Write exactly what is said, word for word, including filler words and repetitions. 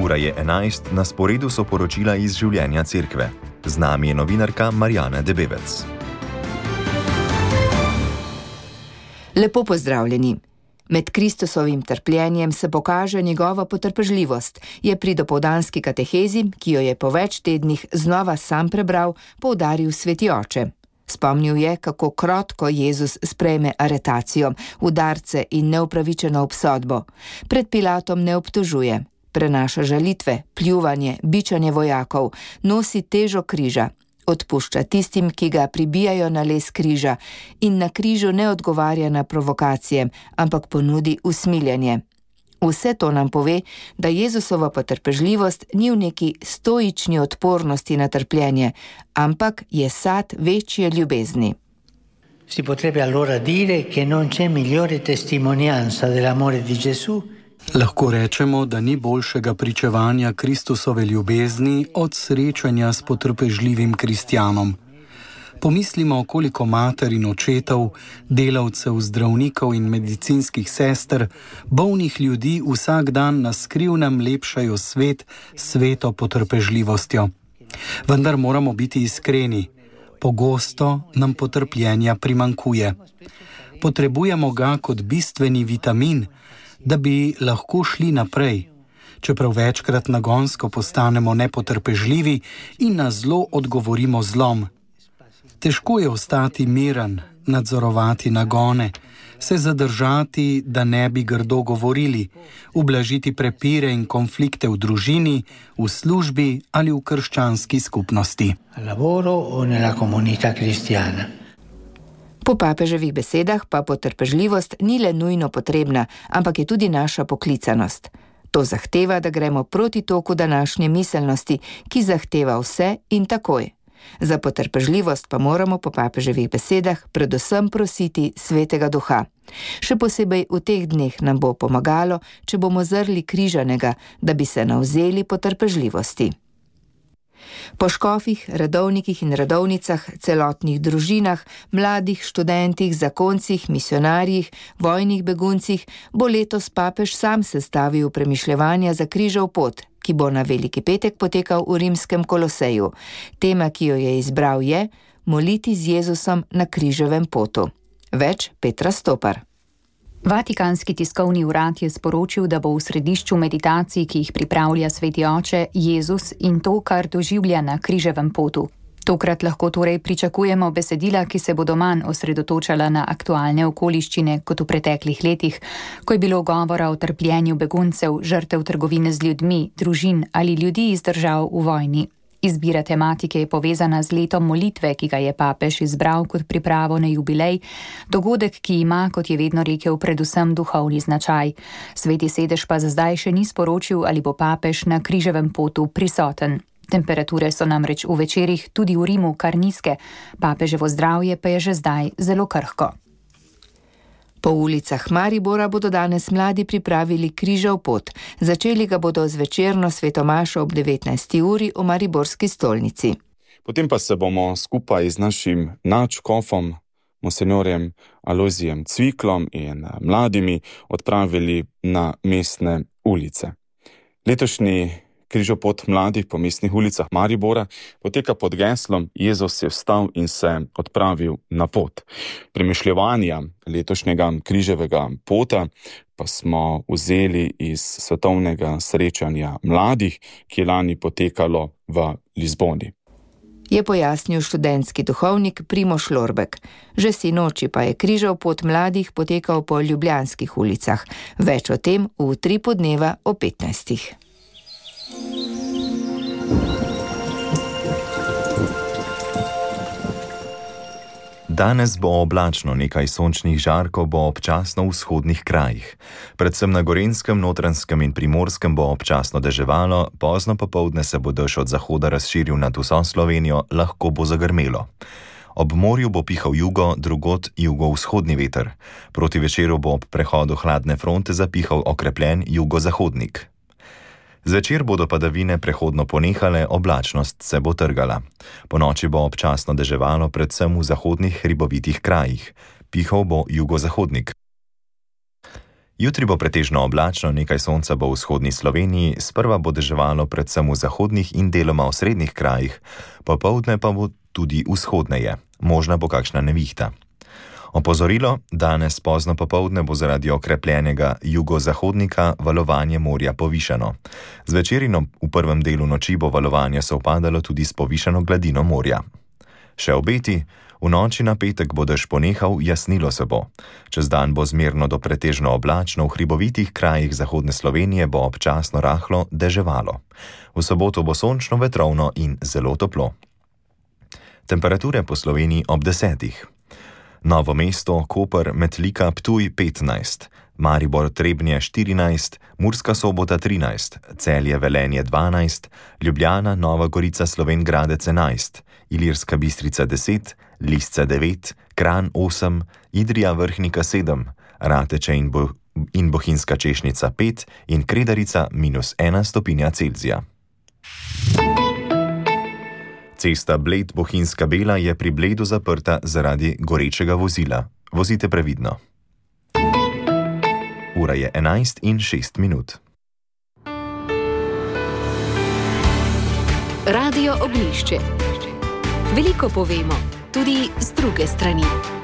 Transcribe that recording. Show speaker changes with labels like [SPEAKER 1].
[SPEAKER 1] Ura je enajst, na sporedu so poročila iz življenja cerkve. Z nami je novinarka Marjana Debevec.
[SPEAKER 2] Lepo pozdravljeni. Med Kristusovim trpljenjem se pokaže njegova potrpežljivost, je pri dopoldanski katehezi, ki jo je po več tednih znova sam prebral, poudaril sveti oče. Spomnil je, kako krotko Jezus sprejme aretacijo, udarce in neupravičeno obsodbo. Pred Pilatom ne obtožuje, prenaša žalitve, pljuvanje, bičanje vojakov, nosi težo križa, odpušča tistim, ki ga pribijajo na les križa in na križu ne odgovarja na provokacije, ampak ponudi usmiljenje. Vse to nam pove, da Jezusova potrpežljivost ni v neki stoični odpornosti na trpljenje, ampak je sad večje ljubezni.
[SPEAKER 3] Si potrebbe allora dire che non c'è migliore testimonianza dell'amore di Gesù.
[SPEAKER 4] Lahko rečemo, da ni boljšega pričevanja Kristusove ljubezni od srečanja s potrpežljivim kristjanom. Pomislimo, koliko mater in očetov, delavcev, zdravnikov in medicinskih sester, bolnih ljudi vsak dan na skrivnem lepšajo svet s sveto potrpežljivostjo. Vendar moramo biti iskreni. Pogosto nam potrpljenja primanjkuje. Potrebujemo ga kot bistveni vitamin, da bi lahko šli naprej, čeprav večkrat nagonsko postanemo nepotrpežljivi in na zlo odgovorimo zlom. Težko je ostati miren, nadzorovati nagone, se zadržati, da ne bi grdo govorili, ublažiti prepire in konflikte v družini, v službi ali v krščanski skupnosti.
[SPEAKER 2] Po papeževih besedah pa potrpežljivost ni le nujno potrebna, ampak je tudi naša poklicanost. To zahteva, da gremo proti toku današnje miselnosti, ki zahteva vse in takoj. Za potrpežljivost pa moramo po papeževih besedah predvsem prositi Svetega Duha. Še posebej v teh dneh nam bo pomagalo, če bomo zrli križanega, da bi se navzeli potrpežljivosti. Po škofih, redovnikih in redovnicah, celotnih družinah, mladih študentih, zakoncih, misionarjih, vojnih beguncih bo letos papež sam sestavil premišljevanja za križev pot, ki bo na Veliki petek potekal v rimskem Koloseju. Tema, ki jo je izbral, je moliti z Jezusom na križevem potu. Več Petra Stopar.
[SPEAKER 5] Vatikanski tiskovni urad je sporočil, da bo v središču meditacij, ki jih pripravlja sveti oče, Jezus in to, kar doživlja na križevem potu. Tokrat lahko torej pričakujemo besedila, ki se bodo manj osredotočala na aktualne okoliščine kot v preteklih letih, ko je bilo govora o trpljenju beguncev, žrtev trgovine z ljudmi, družin ali ljudi iz držav v vojni. Izbira tematike je povezana z letom molitve, ki ga je papež izbral kot pripravo na jubilej, dogodek, ki ima, kot je vedno rekel, predvsem duhovni značaj. Sveti sedež pa za zdaj še ni sporočil, ali bo papež na križevem potu prisoten. Temperature so namreč v večerih tudi v Rimu kar nizke, papeževo zdravje pa je že zdaj zelo krhko. Po ulicah Maribora bodo danes mladi pripravili križev pot. Začeli ga bodo z večerno svetomašo ob devetnajsti uri v mariborski stolnici.
[SPEAKER 6] Potem pa se bomo skupaj z našim nadškofom, monsenjorjem Alojzijem Cviklom in mladimi odpravili na mestne ulice. Letošnji križev pot mladih po mestnih ulicah Maribora poteka pod geslom Jezus je vstal in se odpravil na pot. Premišljevanja letošnjega križevega pota pa smo vzeli iz svetovnega srečanja mladih, ki je lani potekalo v Lizboni.
[SPEAKER 2] Je pojasnil študentski duhovnik Primož Lorbek. Že sinoči pa je križev pot mladih potekal po ljubljanskih ulicah. Več o tem v tri podneva o petnajstih.
[SPEAKER 1] Danes bo oblačno, nekaj sončnih žarkov bo občasno v vzhodnih krajih. Predvsem na Gorenjskem, Notranjskem in Primorskem bo občasno deževalo, pozno popoldne se bo dež od zahoda razširil nad vso Slovenijo, lahko bo zagrmelo. Ob morju bo pihal jugo, drugod jugovzhodni veter. Proti večeru bo ob prehodu hladne fronte zapihal okrepljen jugozahodnik. Zvečer bodo padavine prehodno ponehale, oblačnost se bo trgala. Ponoči bo občasno deževalo predvsem v zahodnih hribovitih krajih. Pihal bo jugozahodnik. Jutri bo pretežno oblačno, nekaj sonca bo v vzhodni Sloveniji, sprva bo deževalo predvsem v zahodnih in deloma v srednjih krajih, popoldne pa bo tudi vzhodneje, možna bo kakšna nevihta. Opozorilo, danes pozno popoldne bo zaradi okrepljenega jugozahodnika valovanje morja povišano. Zvečerino v prvem delu noči bo valovanje sovpadalo tudi s povišano gladino morja. Še obeti, v noči na petek bo dež ponehal, jasnilo se bo. Čez dan bo zmerno do pretežno oblačno, v hribovitih krajih zahodne Slovenije bo občasno rahlo deževalo. V soboto bo sončno, vetrovno in zelo toplo. Temperature po Sloveniji ob desetih. Novo mesto, Koper, Metlika, Ptuj petnajst, Maribor, Trebnje štirinajst, Murska Sobota trinajst, Celje, Velenje dvanajst, Ljubljana, Nova Gorica, Slovenj Gradec enajst, Ilirska Bistrica deset, Lisce devet, Kranj osem, Idrija Vrhnika sedem, Rateče in, Bo in Bohinjska Češnica pet in Kredarica minus ena stopinja Celzija. Cesta Bled-Bohinjska Bela je pri Bledu zaprta zaradi gorečega vozila. Vozite previdno. Ura je enajst in šest minut.
[SPEAKER 7] Radio Oglišče. Veliko povemo, tudi z druge strani.